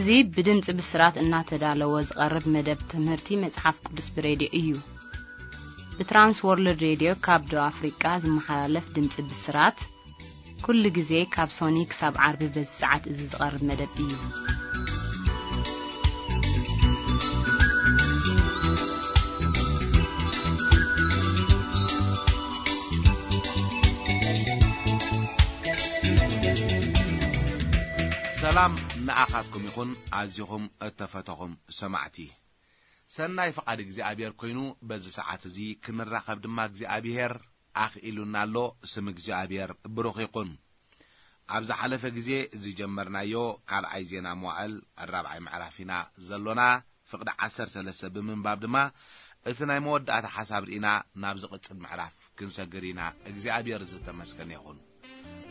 እዚ ብድምጺ ብስራት እናተዳለወ ዝቐርብ መደብ ትምህርቲ መጽሓፍ ቅዱስ ብሬድዮ እዩ። ብትራንስ ወርልድ ሬድዮ ካብ ደቡብ ኣፍሪቃ ዝመሓላለፍ ድምጺ ብስራት፣ ኩሉ ግዜ ካብ ሶኒ ክሳብ ዓርቢ በዚ ሰዓት እዚ ዝቐርብ መደብ እዩ። ሰላም ንኣኻትኩም ይኹን፣ ኣዚኹም እተፈተኹም ሰማዕቲ። ሰናይ ፍቓድ እግዚኣብሔር ኮይኑ፣ በዚ ሰዓት እዚ ክንራኸብ ድማ እግዚኣብሔር ኣኽኢሉና ኣሎ። ስም እግዚኣብሔር ብሩኽ ይኹን። ኣብ ዝሓለፈ ግዜ ዝጀመርናዮ ካልኣይ ዜና መዋዕል ራብዓይ ምዕራፍ ኢና ዘሎና። ፍቕዲ ዓሰርተ ሰለስተ ብምንባብ ድማ እቲ ናይ መወዳእታ ሓሳብ ርኢና ናብ ዝቕጽል ምዕራፍ ክንሰግር ኢና። እግዚኣብሔር ዝተመስገነ ይኹን።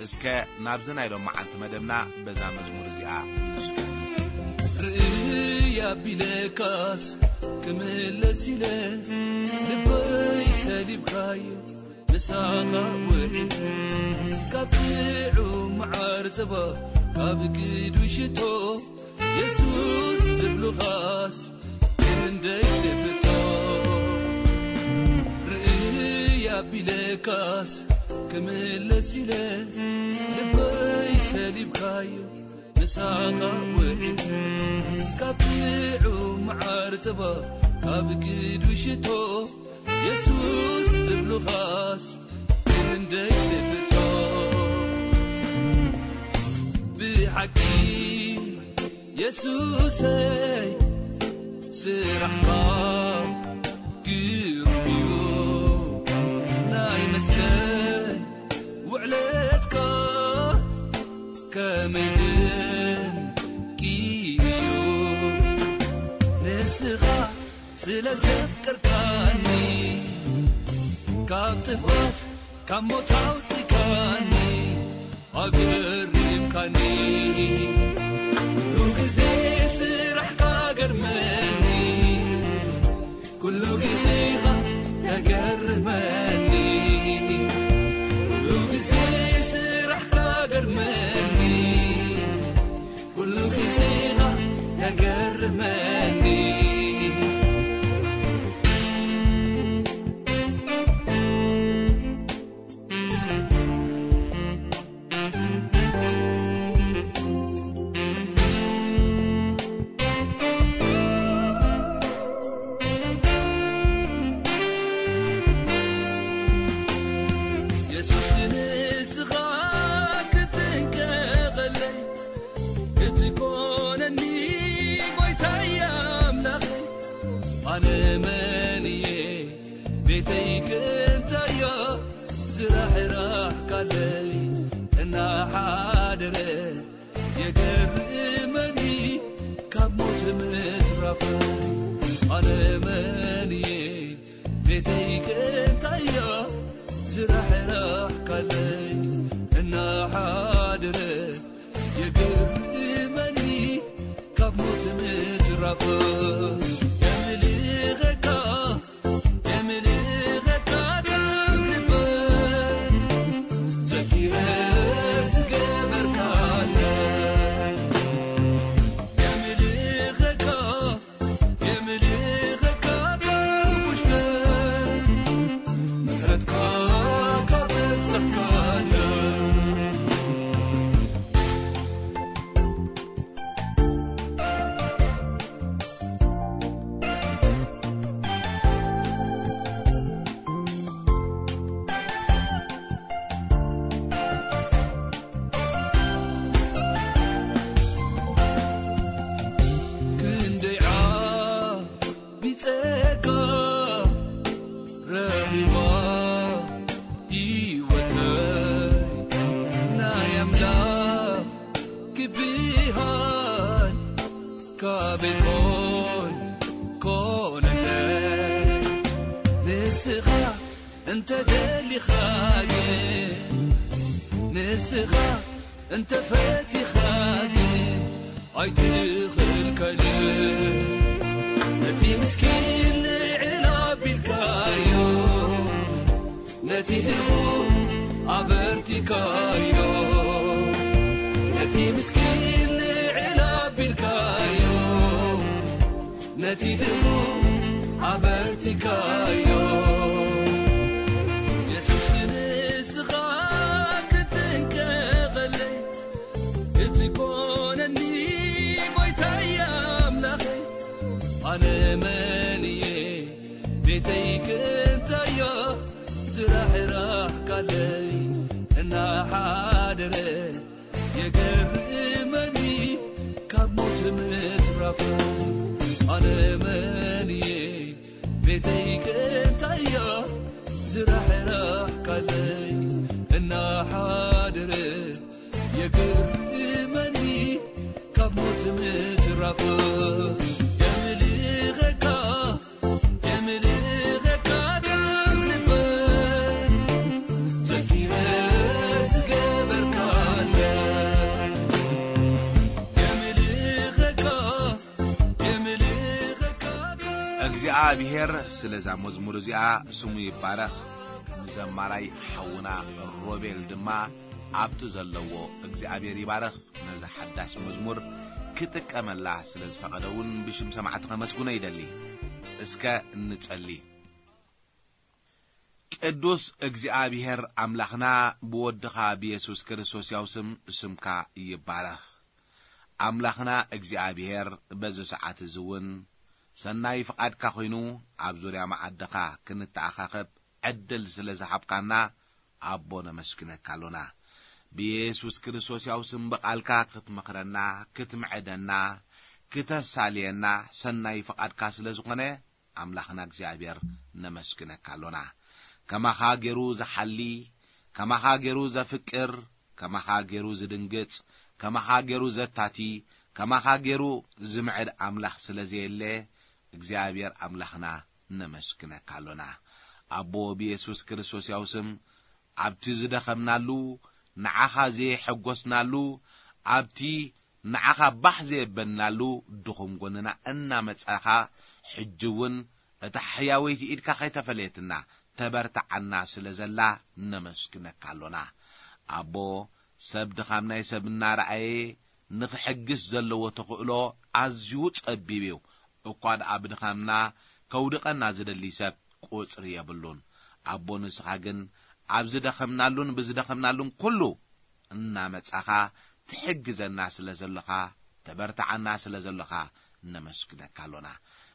እስከ ናብዚ ናይ ሎም መዓልቲ መደብና በዛ መዝሙር እዚኣ ንስጉ። ርእይ ኣቢለካስ ክምለስ ኢለ ልበይ ሰሊብካዮ ምሳኻ ውዒለ ካብ ጥዑም መዓር ጸባ ካብ ግዱ ሽቶ የሱስ ዝብሉኻስ ክንደይ ትፍቶ። ርእይ ኣቢለካስ ክምለስ ኢለ ልበይ ሰሊብካዮ ምሳኻ ውዒለ ካብ ጥዑም መዓር ጸባ ካብ ግዱ ሽቶ የሱስ ዝብሉኻስ ክንደይ ትፍቶ። ብሓቂ የሱሰይ ስራሕካ ግሩም እዩ። ናይ መስቀል ውዕለትካ ከመይ ድንቂ እዩ። ንስኻ ስለ ዘፍቀርካኒ ካብ ጥፍኣት ካብ ሞት ኣውጺካኒ ኣገሪምካኒ። ኩሉ ግዜ ስራሕካ ገርመኒ፣ ኩሉ ግዜኻ ተገርመኒ። ኩሉ ግዜ ስራሕካ ገርመኒ፣ ኩሉ ግዜኻ ተገርመኒ። የሱስ ንስኻ ክትንቀቐለይ ክትኮነኒ ጎይታይ ኣምላኸይ ኣነ መን እየ ቤተይ ክንታዮ ዝራሕራሕካለይ እናሓደረ የገርመኒ ካብ ሞት ምትራፈይ ኣነ መን እየ ቤተይ ክንታዮ ዝራሕራሕካለይ እናሓደረ የገርመኒ ካብ ሞት ምትራፈይ የምልኸካ የምልኸካ ካብ ልበይ ዘኪረ ዝገበርካለይ የምልኸካ የምልኸካ ካብ ውሽጠይ ምሕረትካ ካብ ኣብዛሕካለይ። ክንደይ ዓቢ ጸጋ ረኺባ ህይወተይ ናይ ኣምላኽ ክብሃል ካበይ ኮን ኮነለይ ንስኻ እንተ ደሊኻ ግን ንስኻ እንተ ፈቲኻ ግን ኣይትኽልከልን ነቲ ምስኪን ልዕል ኣቢልካዮ ነቲ ድኹም ኣበርቲካዮ ነቲ ምስኪን ልዕል ኣቢልካዮ ነቲ ድሙ ኣበርቲካዮ። የሱስ ንስኻ ክትንቀቐለይ፣ ክትኮነኒ ጎይታይ ኣምላኸይ። ኣነ መን እየ ቤተይ ክንታዮ፣ ስራሕ ራሕካለይ እናሓደረ የገርመኒ ካብ ሞት ምትራፉ። ኣነ መን እየ ቤተይ ከንታያ፣ ስራሕ ራሕካለይ እናሓደረ የገርመኒ ካብ ሞት ምትራፉ። የምልኸካ የምልኸካ ደም ልበ ዘኪረ ዝገበርካለ። የምልኸካ የምልኸካ ደም እግዚኣብሔር ስለዛ መዝሙር እዚኣ ስሙ ይባረኽ። ንዘማራይ ሓውና ሮቤል ድማ ኣብቲ ዘለዎ እግዚኣብሔር ይባረኽ። ነዛ ሓዳስ መዝሙር ክጥቀመላ ስለ ዝፈቐደ እውን ብሽም ሰማዕቲ ከመስግኖ ይደሊ። እስከ እንጸሊ። ቅዱስ እግዚኣብሔር ኣምላኽና፣ ብወድኻ ብየሱስ ክርስቶስ ያው ስም ስምካ ይባረኽ። ኣምላኽና እግዚኣብሔር፣ በዚ ሰዓት እዚ እውን ሰናይ ፍቓድካ ኮይኑ ኣብ ዙርያ መዓድኻ ክንተኣኻኸብ ዕድል ስለ ዝሃብካና ኣቦ ነመስግነካ ኣሎና። ብየሱስ ክርስቶስ ያው ስም ብቓልካ ክትመኽረና፣ ክትምዕደና፣ ክተሳልየና ሰናይ ፍቓድካ ስለ ዝኾነ ኣምላኽና እግዚኣብሔር ነመስግነካ ኣሎና። ከማኻ ገይሩ ዝሓሊ፣ ከማኻ ገይሩ ዘፍቅር፣ ከማኻ ገይሩ ዝድንግጽ፣ ከማኻ ገይሩ ዘታቲ፣ ከማኻ ገይሩ ዝምዕድ ኣምላኽ ስለ ዘየለ እግዚኣብሔር ኣምላኽና ነመስግነካ ኣሎና። ኣቦ ብየሱስ ክርስቶስ ያው ስም ኣብቲ ዝደኸምናሉ፣ ንዓኻ ዘየሐጎስናሉ፣ ኣብቲ ንዓኻ ባህ ዘየበልናሉ ድኹም ጎንና እናመጻኻ፣ ሕጂ እውን እታ ሕያወይቲ ኢድካ ከይተፈለየትና ተበርትዓና ስለ ዘላ ነመስግነካ ኣሎና። ኣቦ፣ ሰብ ድኻም ናይ ሰብ እናረኣየ ንኽሕግስ ዘለዎ ተኽእሎ ኣዝዩ ጸቢብ እዩ። እኳ ደኣ ብድኻምና ከውድቐና ዝደሊ ሰብ ቁጽሪ የብሉን። ኣቦ፣ ንስኻ ግን ኣብ ዝደኸምናሉን ብዝደኸምናሉን ኩሉ እናመጻኻ ትሕግዘና ስለ ዘሎኻ፣ ተበርትዓና ስለ ዘሎኻ ነመስግነካ ኣሎና።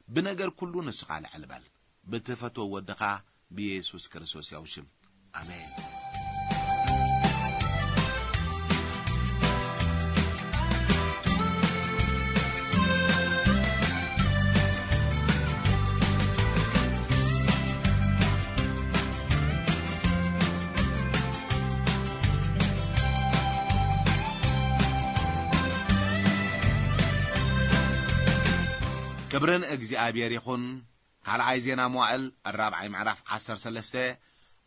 ብነገር ኩሉ ንስኻ ልዕል በል። ብትፈትዎ ወድኻ ብየሱስ ክርስቶስ ያው ሽም። ኣሜን። ክብርን እግዚኣብሔር ይኹን። ካልኣይ ዜና መዋእል ራብዓይ ምዕራፍ ዓሰርተ ሰለስተ።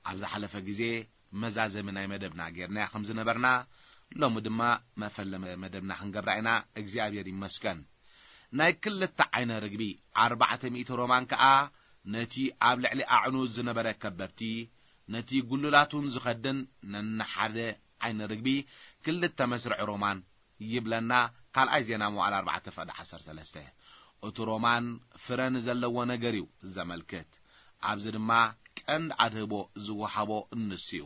ኣብ ዝሓለፈ ግዜ መዛዘሚ ናይ መደብና ጌርናያ ከም ዝነበርና፣ ሎሚ ድማ መፈለመ መደብና ክንገብራ ኢና። እግዚኣብሔር ይመስገን። ናይ ክልተ ዓይነ ርግቢ ኣርባዕተ ሚእቲ ሮማን ከኣ ነቲ ኣብ ልዕሊ ኣዕኑድ ዝነበረ ከበብቲ፣ ነቲ ጉልላቱን ዝኸድን ነንሓደ ዓይነ ርግቢ ክልተ መስርዕ ሮማን ይብለና። ካልኣይ ዜና መዋዕል ኣርባዕተ ፍቕዲ ዓሰርተ ሰለስተ። እቲ ሮማን ፍረ ንዘለዎ ነገር እዩ ዘመልክት። ኣብዚ ድማ ቀንዲ ኣድህቦ ዝወሃቦ እንሱ እዩ።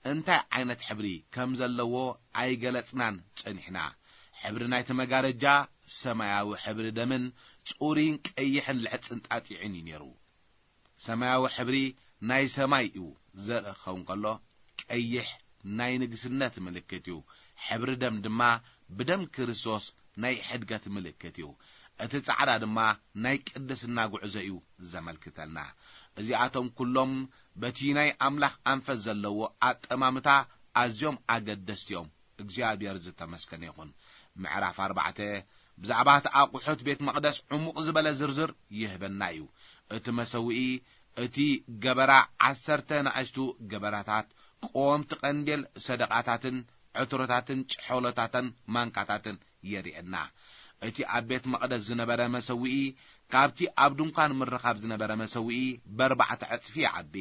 እንታይ ዓይነት ሕብሪ ከም ዘለዎ ኣይገለጽናን ጸኒሕና። ሕብሪ ናይቲ መጋረጃ ሰማያዊ ሕብሪ ደምን ጽሩይን ቀይሕን ልሕጽን ጣጢዕን እዩ ነይሩ። ሰማያዊ ሕብሪ ናይ ሰማይ እዩ ዘርኢ ክኸውን ከሎ፣ ቀይሕ ናይ ንግስነት ምልክት እዩ። ሕብሪ ደም ድማ ብደም ክርስቶስ ናይ ሕድገት ምልክት እዩ። እቲ ጻዕዳ ድማ ናይ ቅድስና ጉዕዞ እዩ ዘመልክተልና። እዚኣቶም ኩሎም በቲ ናይ ኣምላኽ ኣንፈት ዘለዎ ኣጠማምታ ኣዝዮም ኣገደስቲ እዮም። እግዚኣብሔር ዝተመስገነ ይኹን። ምዕራፍ ኣርባዕተ ብዛዕባ እቲ ኣቑሑት ቤት መቕደስ ዕሙቕ ዝበለ ዝርዝር ይህበና እዩ። እቲ መሰውኢ፣ እቲ ገበራ፣ ዓሰርተ ንኣሽቱ ገበራታት፣ ቀወምቲ ቀንዴል፣ ሰደቓታትን ዕትሮታትን ጭሖሎታትን ማንካታትን የርእየና። እቲ ኣብ ቤት መቕደስ ዝነበረ መሰውኢ ካብቲ ኣብ ድንኳን ምርኻብ ዝነበረ መሰውኢ በርባዕተ ዕጽፊ ይዓቢ።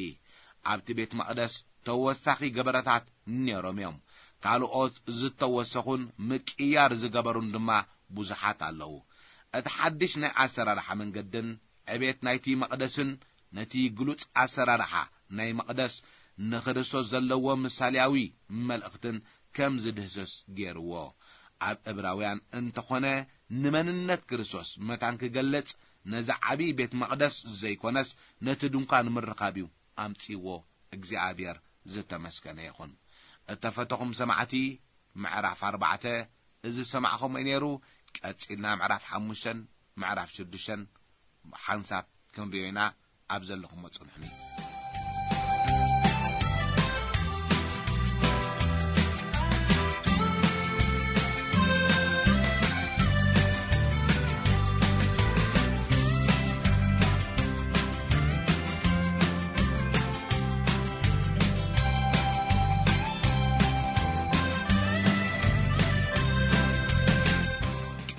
ኣብቲ ቤት መቕደስ ተወሳኺ ገበረታት ነይሮም እዮም። ካልኦት ዝተወሰኹን ምቅያር ዝገበሩን ድማ ብዙሓት ኣለዉ። እቲ ሓድሽ ናይ ኣሰራርሓ መንገድን ዕቤት ናይቲ መቕደስን ነቲ ግሉጽ ኣሰራርሓ ናይ መቕደስ ንክርስቶስ ዘለዎ ምሳሌያዊ መልእኽትን ከም ዝድህስስ ገይርዎ። ኣብ ዕብራውያን እንተኾነ ንመንነት ክርስቶስ መታን ክገልጽ ነዚ ዓብዪ ቤት መቕደስ ዘይኮነስ ነቲ ድንኳን ምርኻብ እዩ ኣምጺዎ። እግዚኣብሔር ዝተመስገነ ይኹን። እተፈተኹም ሰማዕቲ፣ ምዕራፍ ኣርባዕተ እዚ ዝሰማዕኹም እዩ ነይሩ። ቀጺልና ምዕራፍ ሓሙሽተን ምዕራፍ ሽዱሽተን ሓንሳብ ክንሪኦ ኢና። ኣብ ዘለኹሞ ጽንሑኒ።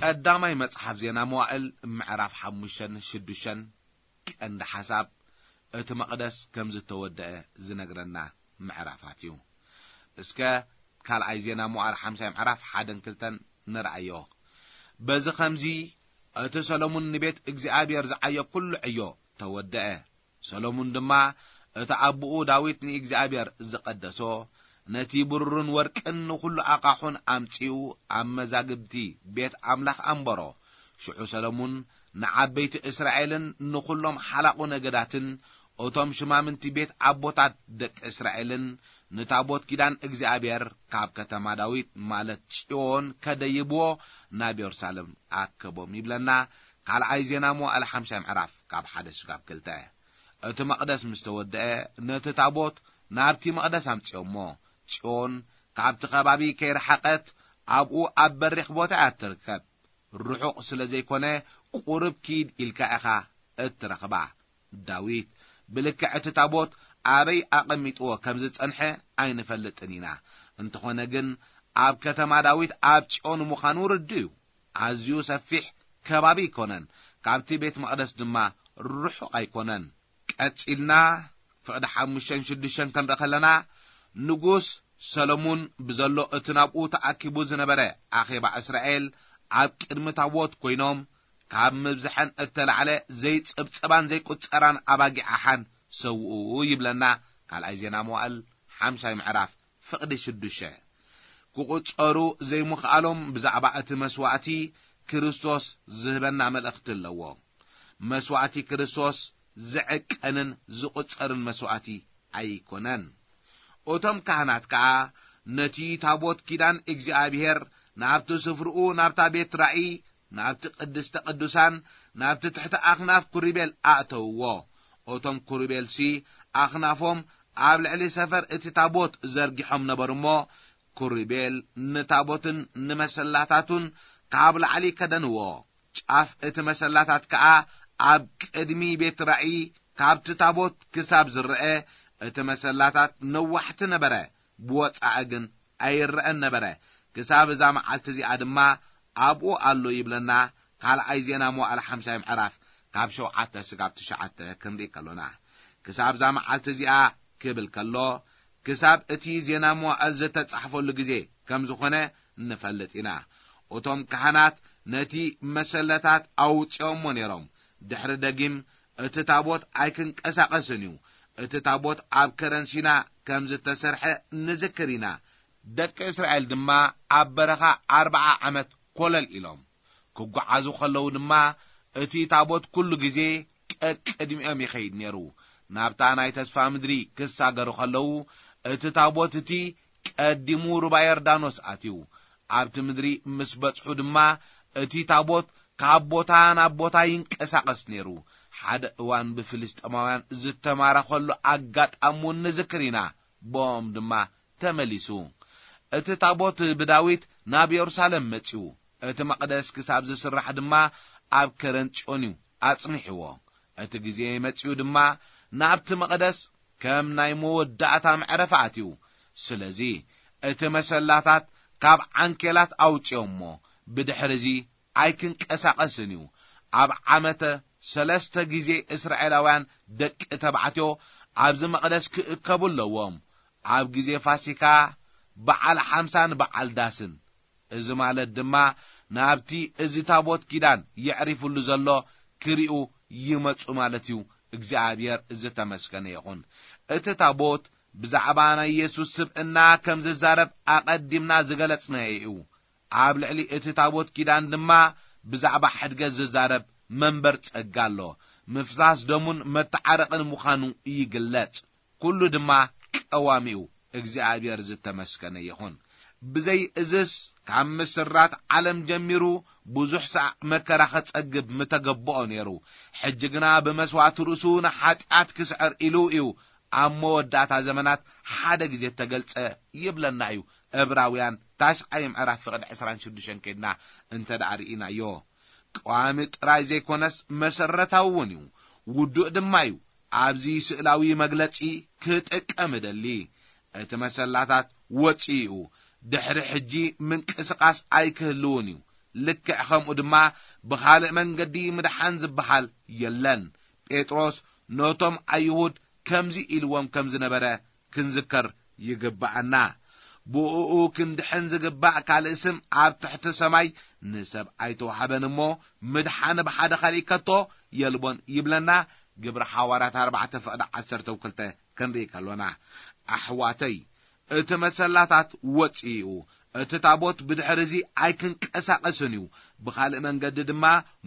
ቀዳማይ መጽሓፍ ዜና መዋእል ምዕራፍ ሓሙሽተን ሽዱሽተን ቀንዲ ሓሳብ እቲ መቕደስ ከም ዝተወደአ ዝነግረና ምዕራፋት እዩ። እስከ ካልኣይ ዜና መዋእል ሓምሳይ ምዕራፍ ሓደን ክልተን ንርኣዮ። በዚ ኸምዚ እቲ ሰሎሙን ንቤት እግዚኣብሔር ዝዓዮ ኩሉ ዕዮ ተወደአ። ሰሎሙን ድማ እቲ ኣቦኡ ዳዊት ንእግዚኣብሔር ዝቐደሶ ነቲ ብሩርን ወርቅን ንኹሉ ኣቓሑን ኣምጺኡ ኣብ መዛግብቲ ቤት ኣምላኽ ኣንበሮ። ሽዑ ሰሎሙን ንዓበይቲ እስራኤልን ንኹሎም ሓላቑ ነገዳትን እቶም ሽማምንቲ ቤት ኣቦታት ደቂ እስራኤልን ንታቦት ኪዳን እግዚኣብሔር ካብ ከተማ ዳዊት ማለት ጽዮን ከደይብዎ ናብ የሩሳሌም ኣከቦም ይብለና። ካልኣይ ዜና መዋእል ሓምሳይ ምዕራፍ ካብ ሓደ ስጋብ ክልተ። እቲ መቕደስ ምስ ተወደአ ነቲ ታቦት ናብቲ መቕደስ ኣምጺኦሞ። ጽዮን ካብቲ ከባቢ ከይረሓቐት ኣብኡ ኣብ በሪኽ ቦታ እያ እትርከብ። ርሑቕ ስለ ዘይኮነ ቁሩብ ኪድ ኢልካ ኢኻ እትረኽባ። ዳዊት ብልክዕ እቲ ታቦት ኣበይ ኣቐሚጥዎ ከም ዝጸንሐ ኣይንፈልጥን ኢና። እንተኾነ ግን ኣብ ከተማ ዳዊት ኣብ ጽዮን ምዃኑ ርዱእ እዩ። ኣዝዩ ሰፊሕ ከባቢ ኣይኮነን፣ ካብቲ ቤት መቕደስ ድማ ርሑቕ ኣይኮነን። ቀጺልና ፍቕዲ ሓሙሽተን ሽዱሽተን ክንርኢ ከለና ንጉስ ሰሎሙን ብዘሎ እቲ ናብኡ ተኣኪቡ ዝነበረ ኣኼባ እስራኤል ኣብ ቅድሚ ታቦት ኮይኖም ካብ ምብዝሐን እተላዕለ ዘይጽብጸባን ዘይቁጸራን ኣባጊዕ ሓን ሰውኡ ይብለና። ካልኣይ ዜና መዋእል ሓምሳይ ምዕራፍ ፍቕዲ ሽዱሽተ። ክቁጸሩ ዘይምኽኣሎም ብዛዕባ እቲ መስዋእቲ ክርስቶስ ዝህበና መልእኽቲ ኣለዎ። መስዋእቲ ክርስቶስ ዝዕቀንን ዝቁጸርን መስዋእቲ ኣይኮነን። እቶም ካህናት ከኣ ነቲ ታቦት ኪዳን እግዚኣብሔር ናብቲ ስፍርኡ ናብታ ቤት ራእይ ናብቲ ቅድስተ ቅዱሳን ናብቲ ትሕቲ ኣኽናፍ ኩሪቤል ኣእተውዎ። እቶም ኩሪቤልሲ ኣኽናፎም ኣብ ልዕሊ ሰፈር እቲ ታቦት ዘርጊሖም ነበሩ እሞ ኩሪቤል ንታቦትን ንመሰላታቱን ካብ ላዕሊ ከደንዎ። ጫፍ እቲ መሰላታት ከኣ ኣብ ቅድሚ ቤት ራእይ ካብቲ ታቦት ክሳብ ዝረአ እቲ መሰላታት ነዋሕቲ ነበረ፣ ብወጻኢ ግን ኣይረአን ነበረ። ክሳብ እዛ መዓልቲ እዚኣ ድማ ኣብኡ ኣሎ ይብለና። ካልኣይ ዜና መዋእል ሓምሳይ ምዕራፍ ካብ ሸውዓተ ስጋብ ትሽዓተ ክንርኢ ከሎና ክሳብ እዛ መዓልቲ እዚኣ ክብል ከሎ ክሳብ እቲ ዜና መዋእል ዝተጻሕፈሉ ግዜ ከም ዝኾነ ንፈልጥ ኢና። እቶም ካህናት ነቲ መሰለታት ኣውጺኦሞ ነይሮም። ድሕሪ ደጊም እቲ ታቦት ኣይክንቀሳቐስን እዩ። እቲ ታቦት ኣብ ከረን ሲና ከም ዝተሰርሐ ንዝክር ኢና። ደቂ እስራኤል ድማ ኣብ በረኻ ኣርብዓ ዓመት ኮለል ኢሎም ክጓዓዙ ከለዉ ድማ እቲ ታቦት ኩሉ ግዜ ቀቅድሚኦም ይኸይድ ነይሩ። ናብታ ናይ ተስፋ ምድሪ ክሳገሩ ከለዉ እቲ ታቦት እቲ ቀዲሙ ሩባ ዮርዳኖስ ኣትዩ። ኣብቲ ምድሪ ምስ በጽሑ ድማ እቲ ታቦት ካብ ቦታ ናብ ቦታ ይንቀሳቐስ ነይሩ። ሓደ እዋን ብፍልስጤማውያን ዝተማረኸሉ ኣጋጣሚ እውን ንዝክር ኢና። ብኦም ድማ ተመሊሱ። እቲ ታቦት ብዳዊት ናብ የሩሳሌም መጺኡ። እቲ መቕደስ ክሳብ ዝስራሕ ድማ ኣብ ከረን ጽዮን እዩ ኣጽኒሕዎ። እቲ ግዜ መጺኡ ድማ ናብቲ መቕደስ ከም ናይ መወዳእታ መዕረፊ ኣትዩ። ስለዚ እቲ መሰላታት ካብ ዓንኬላት ኣውጺኦሞ ብድሕሪ እዚ ኣይክንቀሳቐስን እዩ። ኣብ ዓመተ ሰለስተ ግዜ እስራኤላውያን ደቂ ተባዕትዮ ኣብዚ መቕደስ ክእከቡ ኣለዎም። ኣብ ግዜ ፋሲካ፣ በዓል ሓምሳን በዓል ዳስን፣ እዚ ማለት ድማ ናብቲ እዚ ታቦት ኪዳን የዕሪፉሉ ዘሎ ክሪኡ ይመጹ ማለት እዩ። እግዚኣብሔር ዝተመስገነ ይኹን። እቲ ታቦት ብዛዕባ ናይ የሱስ ስብእና ከም ዝዛረብ ኣቐዲምና ዝገለጽናዮ እዩ። ኣብ ልዕሊ እቲ ታቦት ኪዳን ድማ ብዛዕባ ሕድገት ዝዛረብ መንበር ጸጋ ኣሎ። ምፍሳስ ደሙን መተዓረቕን ምዃኑ ይግለጽ። ኩሉ ድማ ቀዋሚኡ እግዚኣብሔር ዝተመስገነ ይኹን። ብዘይ እዝስ ካብ ምስራት ዓለም ጀሚሩ ብዙሕ ሳዕ መከራ ኸጸግብ ምተገብኦ ነይሩ። ሕጂ ግና ብመስዋእቲ ርእሱ ንሓጢኣት ክስዕር ኢሉ እዩ ኣብ መወዳእታ ዘመናት ሓደ ግዜ ተገልጸ ይብለና እዩ። ዕብራውያን ታሽዓይ ምዕራፍ ፍቕዲ ዕስራን ሽዱሽተን ከይድና እንተ ደኣ ርኢናዮ፣ ቀዋሚ ጥራይ ዘይኮነስ መሰረታዊ እውን እዩ። ውዱእ ድማ እዩ። ኣብዚ ስእላዊ መግለጺ ክጥቀም እደሊ። እቲ መሰላታት ወጺኡ እዩ። ድሕሪ ሕጂ ምንቅስቓስ ኣይክህልውን እዩ። ልክዕ ከምኡ ድማ ብኻልእ መንገዲ ምድሓን ዝበሃል የለን። ጴጥሮስ ነቶም ኣይሁድ ከምዚ ኢልዎም ከም ዝነበረ ክንዝከር ይግብኣና። ብእኡ ክንድሕን ዝግባእ ካልእ ስም ኣብ ትሕቲ ሰማይ ንሰብ ኣይተዋህበን እሞ፣ ምድሓን ብሓደ ካልእ ከቶ የልቦን ይብለና። ግብሪ ሓዋርያት ኣርባዕተ ፍቕዲ ዓሰርተ ክልተ ክንርኢ ከሎና፣ ኣሕዋተይ፣ እቲ መሰላታት ወጺኡ፣ እቲ ታቦት ብድሕሪ እዚ ኣይክንቀሳቐስን እዩ። ብኻልእ መንገዲ ድማ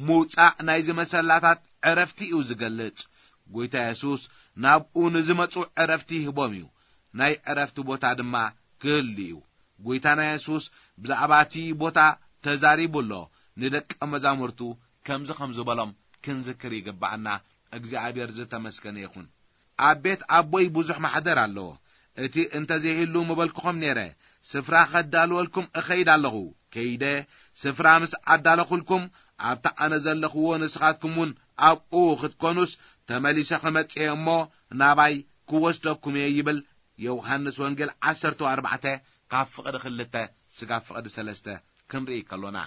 ምውጻእ ናይዚ መሰላታት ዕረፍቲ እዩ ዝገልጽ። ጎይታ የሱስ ናብኡ ንዝመጹ ዕረፍቲ ይህቦም እዩ። ናይ ዕረፍቲ ቦታ ድማ ክህሉ እዩ። ጎይታና የሱስ ብዛዕባ እቲ ቦታ ተዛሪቡ ኣሎ። ንደቀ መዛሙርቱ ከምዚ ከም ዝበሎም ክንዝክር ይግብኣና። እግዚኣብሔር ዝተመስገነ ይኹን። ኣብ ቤት ኣቦይ ብዙሕ ማሕደር ኣለዎ። እቲ እንተዘይህሉ ምበልኩኹም ነይረ፣ ስፍራ ኸዳልወልኩም እኸይድ ኣለኹ። ከይደ ስፍራ ምስ ኣዳለኹልኩም፣ ኣብቲ ኣነ ዘለኽዎ ንስኻትኩም እውን ኣብኡ ኽትኮኑስ፣ ተመሊሰ ኽመጽእ እየ እሞ ናባይ ክወስደኩም እየ ይብል። ዮሃንስ ወንጌል ዓሰርተ ኣርባዕተ ካብ ፍቕዲ ክልተ ስጋብ ፍቕዲ ሰለስተ ክንርኢ ከሎና፣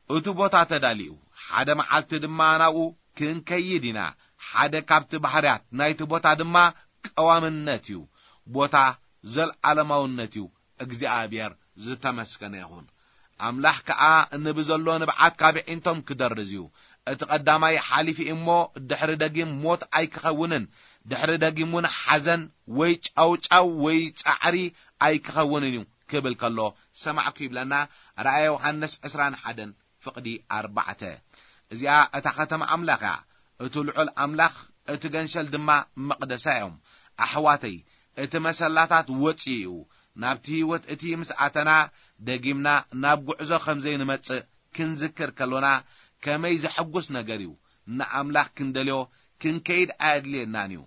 እቲ ቦታ ተዳልዩ፣ ሓደ መዓልቲ ድማ ናብኡ ክንከይድ ኢና። ሓደ ካብቲ ባህርያት ናይቲ ቦታ ድማ ቀዋምነት እዩ። ቦታ ዘልዓለማውነት እዩ። እግዚኣብሔር ዝተመስገነ ይኹን። ኣምላኽ ከኣ ንብዘሎ ንብዓት ካብ ዒንቶም ክደርዝ እዩ። እቲ ቀዳማይ ሓሊፉ እሞ ድሕሪ ደጊም ሞት ኣይክኸውንን፣ ድሕሪ ደጊም እውን ሓዘን ወይ ጫውጫው ወይ ጻዕሪ ኣይክኸውንን እዩ ክብል ከሎ ሰማዕኩ ይብለና። ራእየ ዮሃንስ ዕስራን ሓደን ፍቕዲ ኣርባዕተ። እዚኣ እታ ከተማ ኣምላኽ እያ። እቲ ልዑል ኣምላኽ፣ እቲ ገንሸል ድማ መቕደሳ እዮም። ኣሕዋተይ፣ እቲ መሰላታት ወጺኡ እዩ። ናብቲ ህይወት እቲ ምስ ኣተና፣ ደጊምና ናብ ጉዕዞ ከም ዘይንመጽእ ክንዝክር ከሎና፣ ከመይ ዘሐጉስ ነገር እዩ። ንኣምላኽ ክንደልዮ ክንከይድ ኣየድልየናን እዩ።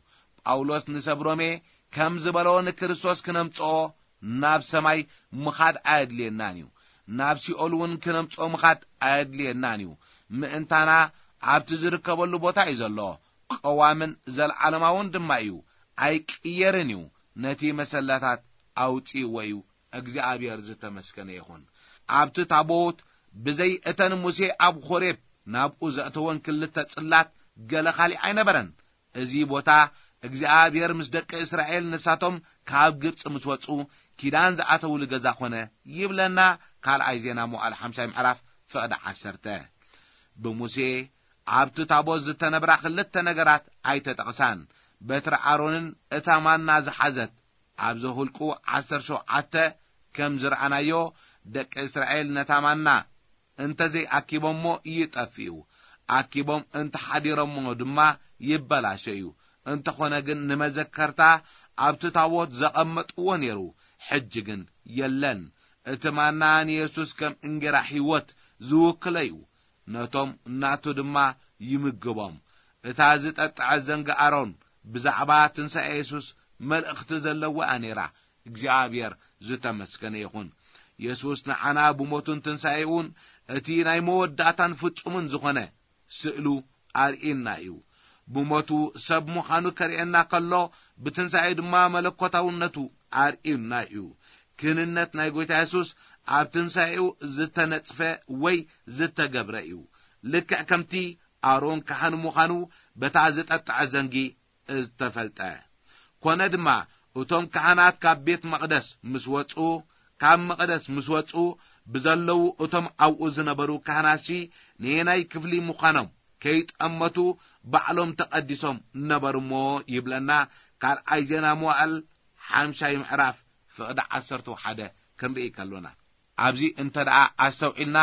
ጳውሎስ ንሰብ ሮሜ ከም ዝበሎ፣ ንክርስቶስ ክነምጽኦ ናብ ሰማይ ምኻድ ኣየድልየናን እዩ። ናብ ሲኦል እውን ክነምጽኦ ምኻድ ኣየድልየናን እዩ። ምእንታና ኣብቲ ዝርከበሉ ቦታ እዩ ዘሎ። ቀዋምን ዘለዓለማውን ድማ እዩ። ኣይቅየርን እዩ። ነቲ መሰላታት ኣውጺእዎ እዩ። እግዚኣብሔር ዝተመስገነ ይኹን። ኣብቲ ታቦት ብዘይ እተን ሙሴ ኣብ ኾሬብ ናብኡ ዘእተወን ክልተ ጽላት ገለ ካሊእ ኣይነበረን። እዚ ቦታ እግዚኣብሔር ምስ ደቂ እስራኤል ንሳቶም ካብ ግብጺ ምስ ወጹ ኪዳን ዝኣተውሉ ገዛ ኾነ ይብለና። ካልኣይ ዜና መዋዕል ሓምሳይ ምዕራፍ ፍቕዲ ዓሰርተ። ብሙሴ ኣብቲ ታቦት ዝተነብራ ክልተ ነገራት ኣይተጠቕሳን። በትሪ ኣሮንን እታ ማና ዝሓዘት ኣብ ዘሁልቁ ዓሰርተ ሸውዓተ ከም ዝረኣናዮ፣ ደቂ እስራኤል ነታ ማና እንተ ዘይኣኪቦሞ ይጠፍኡ፣ ኣኪቦም እንተ ሓዲሮሞ ድማ ይበላሸ እዩ። እንተኾነ ግን ንመዘከርታ ኣብቲ ታቦት ዘቐመጥዎ ነይሩ፣ ሕጂ ግን የለን። እቲ ማና ንየሱስ ከም እንጌራ ህይወት ዝውክሎ እዩ፣ ነቶም ናቱ ድማ ይምግቦም። እታ ዝጠጥዐ ዘንጊ ኣሮን ብዛዕባ ትንሳኤ የሱስ መልእኽቲ ዘለዋ እያ ነይራ። እግዚኣብሔር ዝተመስገነ ይኹን። የሱስ ንዓና ብሞቱን ትንሳኤኡን እቲ ናይ መወዳእታን ፍጹምን ዝኾነ ስእሉ ኣርእዩና እዩ። ብሞቱ ሰብ ምዃኑ ከርእየና ከሎ፣ ብትንሳኤ ድማ መለኮታውነቱ ኣርእዩና እዩ። ክህንነት ናይ ጎይታ የሱስ ኣብ ትንሳኤኡ ዝተነጽፈ ወይ ዝተገብረ እዩ። ልክዕ ከምቲ ኣሮን ካህን ምዃኑ በታ ዝጠጥዐ ዘንጊ ዝተፈልጠ። ኮነ ድማ፣ እቶም ካህናት ካብ ቤት መቕደስ ምስ ወጹ፣ ካብ መቕደስ ምስ ወጹ፣ ብዘለዉ እቶም ኣብኡ ዝነበሩ ካህናትሲ ነየናይ ክፍሊ ምዃኖም ከይጠመቱ ባዕሎም ተቐዲሶም ነበሩ እሞ ይብለና። ካልኣይ ዜና መዋዕል ሓምሻይ ምዕራፍ ፍቕዲ ዓሰርተ ሓደ ክንርኢ ከሎና። ኣብዚ እንተ ደኣ ኣስተውዒልና፣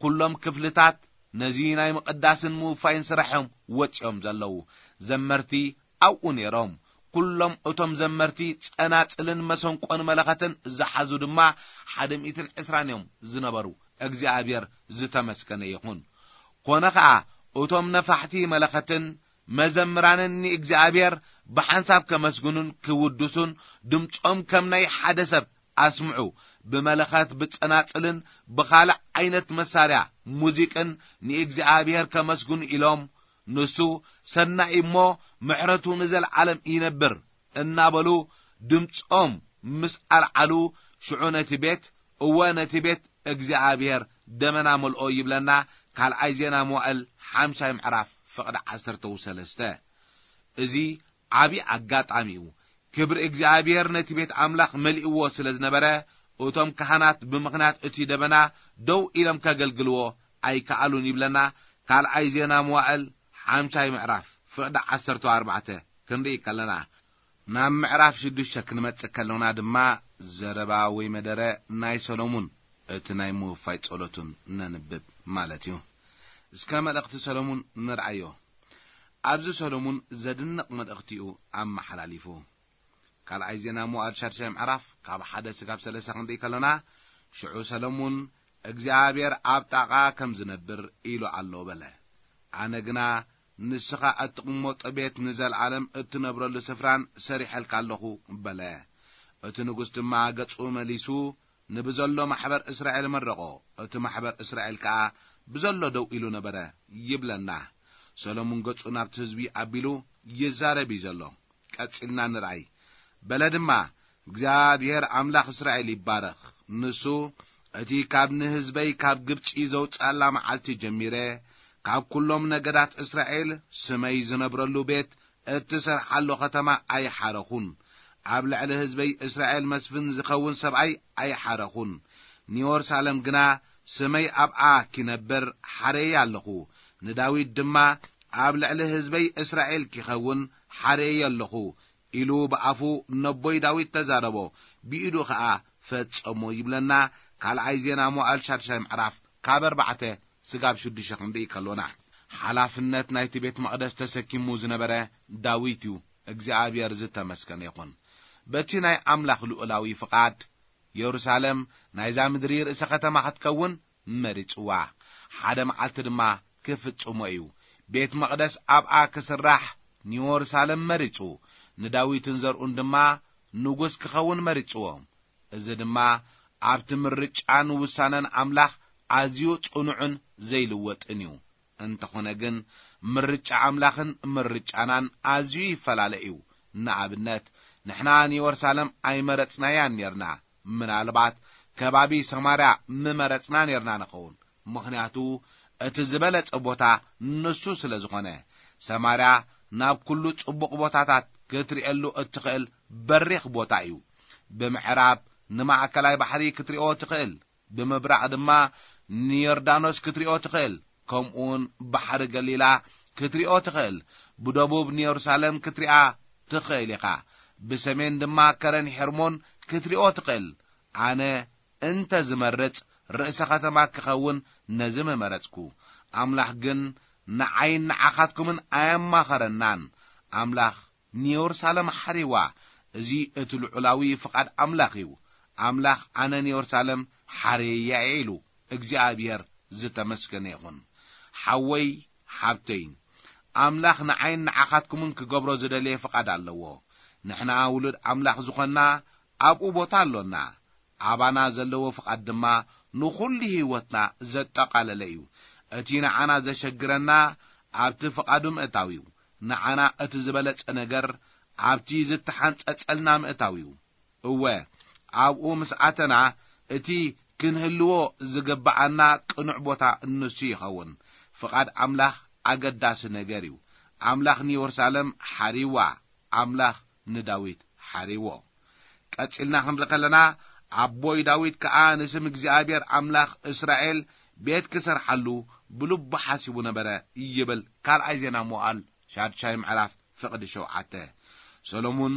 ኩሎም ክፍልታት ነዚ ናይ ምቕዳስን ምውፋይን ስራሕ'ዮም ወጺኦም ዘለዉ። ዘመርቲ ኣብኡ ነይሮም። ኩሎም እቶም ዘመርቲ ጸናጽልን መሰንቆን መለኸትን ዝሓዙ ድማ ሓደ ሚእትን ዕስራን እዮም ዝነበሩ። እግዚኣብሔር ዝተመስገነ ይኹን። ኮነ ኸኣ እቶም ነፋሕቲ መለኸትን መዘምራንን ንእግዚኣብሔር ብሓንሳብ ከመስግኑን ክውድሱን ድምጾም ከም ናይ ሓደ ሰብ ኣስምዑ፣ ብመለኸት ብጸናጽልን ብኻልእ ዓይነት መሳርያ ሙዚቅን ንእግዚኣብሔር ከመስግኑ ኢሎም፣ ንሱ ሰናይ እሞ ምሕረቱ ንዘለዓለም ይነብር እናበሉ ድምጾም ምስ ኣልዓሉ፣ ሽዑ ነቲ ቤት፣ እወ ነቲ ቤት እግዚኣብሔር ደመና መልኦ ይብለና። ካልኣይ ዜና መዋእል ሓምሻይ ምዕራፍ ፍቕዲ ዓሰርተ ሰለስተ። እዚ ዓቢ ኣጋጣሚ እዩ። ክብሪ እግዚኣብሔር ነቲ ቤት ኣምላኽ መሊእዎ ስለ ዝነበረ፣ እቶም ካህናት ብምኽንያት እቲ ደበና ደው ኢሎም ከገልግልዎ ኣይከኣሉን ይብለና። ካልኣይ ዜና መዋእል ሓምሻይ ምዕራፍ ፍቕዲ ዓሰርተ ኣርባዕተ ክንርኢ ከለና፣ ናብ ምዕራፍ ሽዱሽተ ክንመጽእ ከለና ድማ ዘረባ ወይ መደረ ናይ ሰሎሙን እቲ ናይ ምውፋይ ጸሎቱን ነንብብ ማለት እዩ። እስከ መልእኽቲ ሰሎሙን ንርኣዮ። ኣብዚ ሰሎሙን ዘድንቕ መልእኽቲኡ ኣመሓላሊፉ። ካልኣይ ዜና መዋዕል ሻድሻይ ምዕራፍ ካብ ሓደ ስጋብ ሰለስተ ክንርኢ ከለና፣ ሽዑ ሰሎሙን እግዚኣብሔር ኣብ ጣቓ ከም ዝነብር ኢሉ ኣሎ በለ። ኣነ ግና ንስኻ እትቕመጦ ቤት ንዘለዓለም እትነብረሉ ስፍራን ሰሪሐልካ ኣለኹ በለ። እቲ ንጉስ ድማ ገጹ መሊሱ ንብዘሎ ማሕበር እስራኤል መረቖ። እቲ ማሕበር እስራኤል ከኣ ብዘሎ ደው ኢሉ ነበረ ይብለና። ሰሎሙን ገጹ ናብቲ ህዝቢ ኣቢሉ ይዛረብ እዩ ዘሎ። ቀጺልና ንርኣይ። በለ ድማ፣ እግዚኣብሔር ኣምላኽ እስራኤል ይባረኽ። ንሱ፣ እቲ ካብ ንህዝበይ ካብ ግብጺ ዘውጽኣላ መዓልቲ ጀሚረ፣ ካብ ኩሎም ነገዳት እስራኤል ስመይ ዝነብረሉ ቤት እትሰርሓሉ ኸተማ ኣይሓረኹን። ኣብ ልዕሊ ህዝበይ እስራኤል መስፍን ዝኸውን ሰብኣይ ኣይሓረኹን። ንዮርሳለም ግና ስመይ ኣብኣ ኪነብር ሓረየ ኣለኹ። ንዳዊት ድማ ኣብ ልዕሊ ህዝበይ እስራኤል ኪኸውን ሓረየ ኣለኹ ኢሉ ብኣፉ ነቦይ ዳዊት ተዛረቦ፣ ብኢዱ ኸኣ ፈጸሞ ይብለና። ካልኣይ ዜና መዋዕል ሻድሻይ ምዕራፍ ካብ ኣርባዕተ ስጋብ ሽዱሽተ ክንርኢ ከሎና፣ ሓላፍነት ናይቲ ቤት መቕደስ ተሰኪሙ ዝነበረ ዳዊት እዩ። እግዚኣብሔር ዝተመስገነ ይኹን። በቲ ናይ ኣምላኽ ልኡላዊ ፍቓድ፣ የሩሳሌም ናይዛ ምድሪ ርእሰ ከተማ ክትከውን መሪጽዋ። ሓደ መዓልቲ ድማ ክፍጽሞ እዩ። ቤት መቕደስ ኣብኣ ክስራሕ ንየሩሳሌም መሪጹ፣ ንዳዊትን ዘርኡን ድማ ንጉስ ክኸውን መሪጽዎ። እዚ ድማ ኣብቲ ምርጫን ውሳነን ኣምላኽ ኣዝዩ ጽኑዕን ዘይልወጥን እዩ። እንተኾነ ግን፣ ምርጫ ኣምላኽን ምርጫናን ኣዝዩ ይፈላለ እዩ። ንኣብነት፣ ንሕና ንየሩሳሌም ኣይመረጽናያን ኔርና። ምናልባት ከባቢ ሰማርያ ምመረጽና ኔርና ንኸውን። ምኽንያቱ፣ እቲ ዝበለጸ ቦታ ንሱ ስለ ዝኾነ። ሰማርያ ናብ ኩሉ ጽቡቕ ቦታታት ክትርእየሉ እትኽእል በሪኽ ቦታ እዩ። ብምዕራብ ንማእከላይ ባሕሪ ክትርእዮ ትኽእል። ብምብራቕ ድማ ንዮርዳኖስ ክትርእዮ ትኽእል። ከምኡውን ባሕሪ ገሊላ ክትርእዮ ትኽእል። ብደቡብ ንየሩሳሌም ክትሪኣ ትኽእል ኢኻ። ብሰሜን ድማ ከረን ሄርሞን ክትርእዮ ትኽእል። ኣነ እንተ ዝመርጽ ርእሰ ከተማ ክኸውን ነዚ ምመረጽኩ። ኣምላኽ ግን ንዓይን ንዓኻትኩምን ኣየማኸረናን። ኣምላኽ ንየሩሳሌም ሓሪዋ። እዚ እቲ ልዑላዊ ፍቓድ ኣምላኽ እዩ። ኣምላኽ ኣነ ንየሩሳሌም ሓርየያ እየ ኢሉ። እግዚኣብሔር ዝተመስገነ ይኹን። ሓወይ፣ ሓብተይ፣ ኣምላኽ ንዓይን ንዓኻትኩምን ክገብሮ ዝደለየ ፍቓድ ኣለዎ። ንሕና ውሉድ ኣምላኽ ዝኾንና ኣብኡ ቦታ ኣሎና። ኣባና ዘለዎ ፍቓድ ድማ ንኹሉ ህይወትና ዘጠቓለለ እዩ። እቲ ንዓና ዘሸግረና ኣብቲ ፍቓዱ ምእታው እዩ። ንዓና እቲ ዝበለጸ ነገር ኣብቲ ዝተሓንጸጸልና ምእታው እዩ። እወ፣ ኣብኡ ምስ ኣተና እቲ ክንህልዎ ዝግብኣና ቅኑዕ ቦታ ንሱ ይኸውን። ፍቓድ ኣምላኽ ኣገዳሲ ነገር እዩ። ኣምላኽ ንየሩሳሌም ሓሪዋ፣ ኣምላኽ ንዳዊት ሓሪዎ። ቀጺልና ክንርኢ ከለና፣ ኣቦይ ዳዊት ከኣ ንስም እግዚኣብሔር ኣምላኽ እስራኤል ቤት ክሰርሓሉ ብልቡ ሓሲቡ ነበረ ይብል ካልኣይ ዜና መዋዕል ሻድሻይ ምዕራፍ ፍቕዲ ሸውዓተ። ሰሎሙን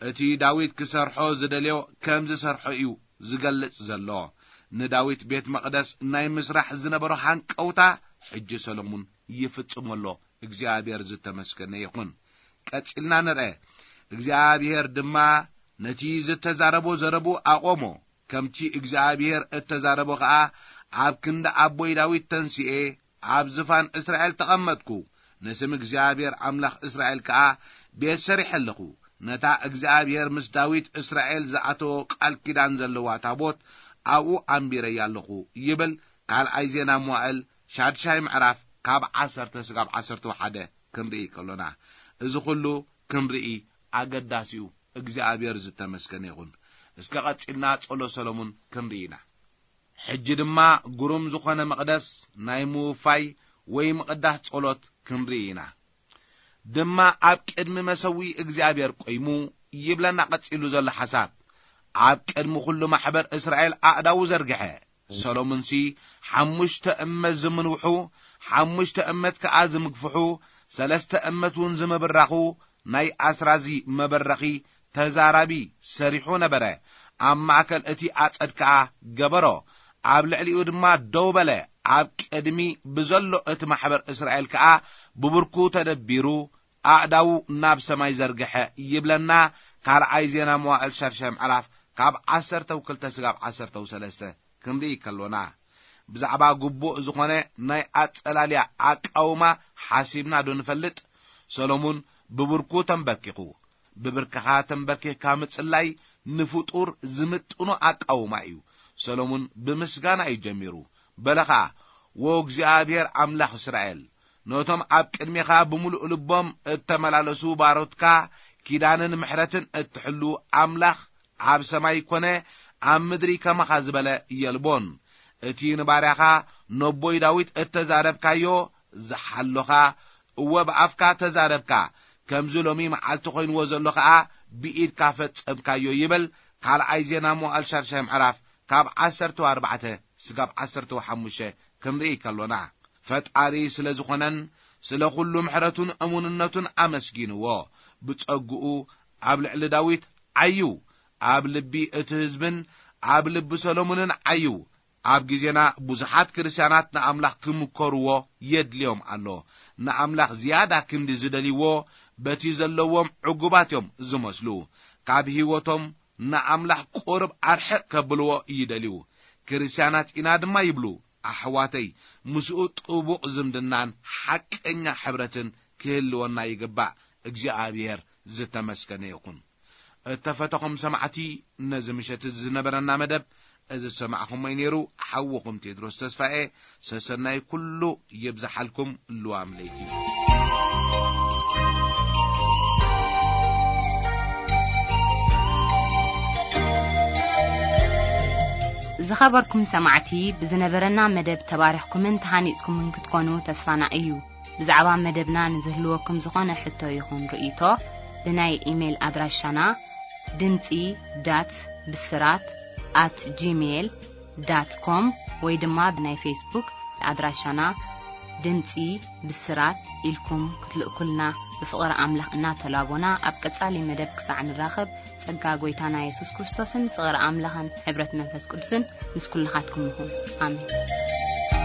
እቲ ዳዊት ክሰርሖ ዝደልዮ ከም ዝሰርሖ እዩ ዝገልጽ ዘሎ። ንዳዊት ቤት መቕደስ ናይ ምስራሕ ዝነበሮ ሃንቀውታ ሕጂ ሰሎሙን ይፍጽሞ ኣሎ። እግዚኣብሔር ዝተመስገነ ይኹን። ቀጺልና ንርአ። እግዚኣብሔር ድማ ነቲ ዝተዛረቦ ዘረቡ ኣቖሞ። ከምቲ እግዚኣብሔር እተዛረቦ ኸኣ ኣብ ክንዲ ኣቦይ ዳዊት ተንሲኤ ኣብ ዝፋን እስራኤል ተቐመጥኩ። ንስም እግዚኣብሔር ኣምላኽ እስራኤል ከኣ ቤት ሰሪሐ ኣለኹ። ነታ እግዚኣብሔር ምስ ዳዊት እስራኤል ዝኣተዎ ቃል ኪዳን ዘለዋ ታቦት ኣብኡ ኣንቢረያ ኣለኹ ይብል ካልኣይ ዜና መዋዕል ሻድሻይ ምዕራፍ ካብ ዓሰርተ ስጋብ ዓሰርተ ሓደ ክንርኢ ከሎና፣ እዚ ኹሉ ክንርኢ ኣገዳሲ እዩ። እግዚኣብሔር ዝተመስገነ ይኹን። እስከ ቀጺልና ጸሎት ሰሎሙን ክንርኢ ኢና። ሕጂ ድማ ግሩም ዝኾነ መቕደስ ናይ ምውፋይ ወይ ምቕዳስ ጸሎት ክንርኢ ኢና። ድማ ኣብ ቅድሚ መሰዊ እግዚኣብሔር ቆይሙ ይብለና ቀጺሉ ዘሎ ሓሳብ። ኣብ ቅድሚ ኩሉ ማሕበር እስራኤል ኣእዳዉ ዘርግሐ። ሰሎሙንሲ ሓሙሽተ እመት ዝምንውሑ፣ ሓሙሽተ እመት ከኣ ዝምግፍሑ፣ ሰለስተ እመት እውን ዝምብራኹ ናይ ኣስራዚ መበረኺ ተዛራቢ ሰሪሑ ነበረ። ኣብ ማእከል እቲ ኣጸድ ከኣ ገበሮ። ኣብ ልዕሊኡ ድማ ደው በለ። ኣብ ቅድሚ ብዘሎ እቲ ማሕበር እስራኤል ከኣ ብብርኩ ተደቢሩ ኣእዳዉ ናብ ሰማይ ዘርግሐ ይብለና። ካልኣይ ዜና መዋዕል ሻድሻይ ምዕራፍ ካብ ዓሰርተው ክልተ ስጋብ ዓሰርተው ሰለስተ ክንርኢ ከሎና፣ ብዛዕባ ግቡእ ዝኾነ ናይ ኣጸላልያ ኣቃውማ ሓሲብና ዶ ንፈልጥ? ሰሎሙን ብብርኩ ተንበርኪኹ። ብብርክኻ ተንበርኪኽካ ምጽላይ ንፍጡር ዝምጥኖ ኣቃውማ እዩ። ሰሎሙን ብምስጋና እዩ ጀሚሩ። በለ ኸኣ፣ "ወ እግዚኣብሔር ኣምላኽ እስራኤል፣ ነቶም ኣብ ቅድሜኻ ብምሉእ ልቦም እተመላለሱ ባሮትካ ኪዳንን ምሕረትን እትሕሉ ኣምላኽ ኣብ ሰማይ ኮነ ኣብ ምድሪ ከማኻ ዝበለ የልቦን። እቲ ንባርያኻ ነቦይ ዳዊት እተዛረብካዮ ዝሓሎኻ፣ እወ ብኣፍካ ተዛረብካ፣ ከምዚ ሎሚ መዓልቲ ኮይንዎ ዘሎ ኸኣ ብኢድካ ፈጸምካዮ" ይብል ካልኣይ ዜና መዋዕል ሻድሻይ ምዕራፍ ካብ ዓሰርተ ኣርባዕተ ስጋብ ዓሰርተ ሓሙሽተ ክንርኢ ከሎና፣ ፈጣሪ ስለ ዝኾነን ስለ ኩሉ ምሕረቱን እሙንነቱን ኣመስጊንዎ። ብጸግኡ ኣብ ልዕሊ ዳዊት ዓዩ፣ ኣብ ልቢ እቲ ህዝብን ኣብ ልቢ ሰሎሞንን ዓዩ። ኣብ ግዜና ብዙሓት ክርስትያናት ንኣምላኽ ክምከርዎ የድልዮም ኣሎ። ንኣምላኽ ዝያዳ ክንዲ ዝደልይዎ በቲ ዘለዎም ዕጉባት እዮም ዝመስሉ። ካብ ህይወቶም ንኣምላኽ ቁሩብ ኣርሕቕ ከብልዎ ይደልዩ። ክርስትያናት ኢና ድማ ይብሉ። ኣሕዋተይ፣ ምስኡ ጥቡቕ ዝምድናን ሓቀኛ ሕብረትን ክህልወና ይግባእ። እግዚኣብሔር ዝተመስገነ ይኹን። እተፈተኹም ሰማዕቲ፣ ነዚ ምሸት እዚ ዝነበረና መደብ እዚ ዝሰማዕኹሞ እዩ ነይሩ። ሓውኹም ቴድሮስ ተስፋኤ፣ ሰሰናይ ኩሉ ይብዝሓልኩም። ልዋም ለይቲ። ዝኸበርኩም ሰማዕቲ፣ ብዝነበረና መደብ ተባሪኽኩምን ተሃኒጽኩምን ክትኮኑ ተስፋና እዩ። ብዛዕባ መደብና ንዝህልወኩም ዝኾነ ሕቶ ይኹን ርእይቶ፣ ብናይ ኢሜይል ኣድራሻና ድምጺ ዳት ብስራት ኣት ጂሜይል ዳት ኮም ወይ ድማ ብናይ ፌስቡክ ኣድራሻና ድምጺ ብስራት ኢልኩም ክትልእኩልና ብፍቕሪ ኣምላኽ እናተላቦና፣ ኣብ ቀጻሊ መደብ ክሳዕ ንራኸብ፣ ጸጋ ጐይታና የሱስ ክርስቶስን ፍቕሪ ኣምላኽን ሕብረት መንፈስ ቅዱስን ምስ ኩልኻትኩም ይኹን። ኣሜን።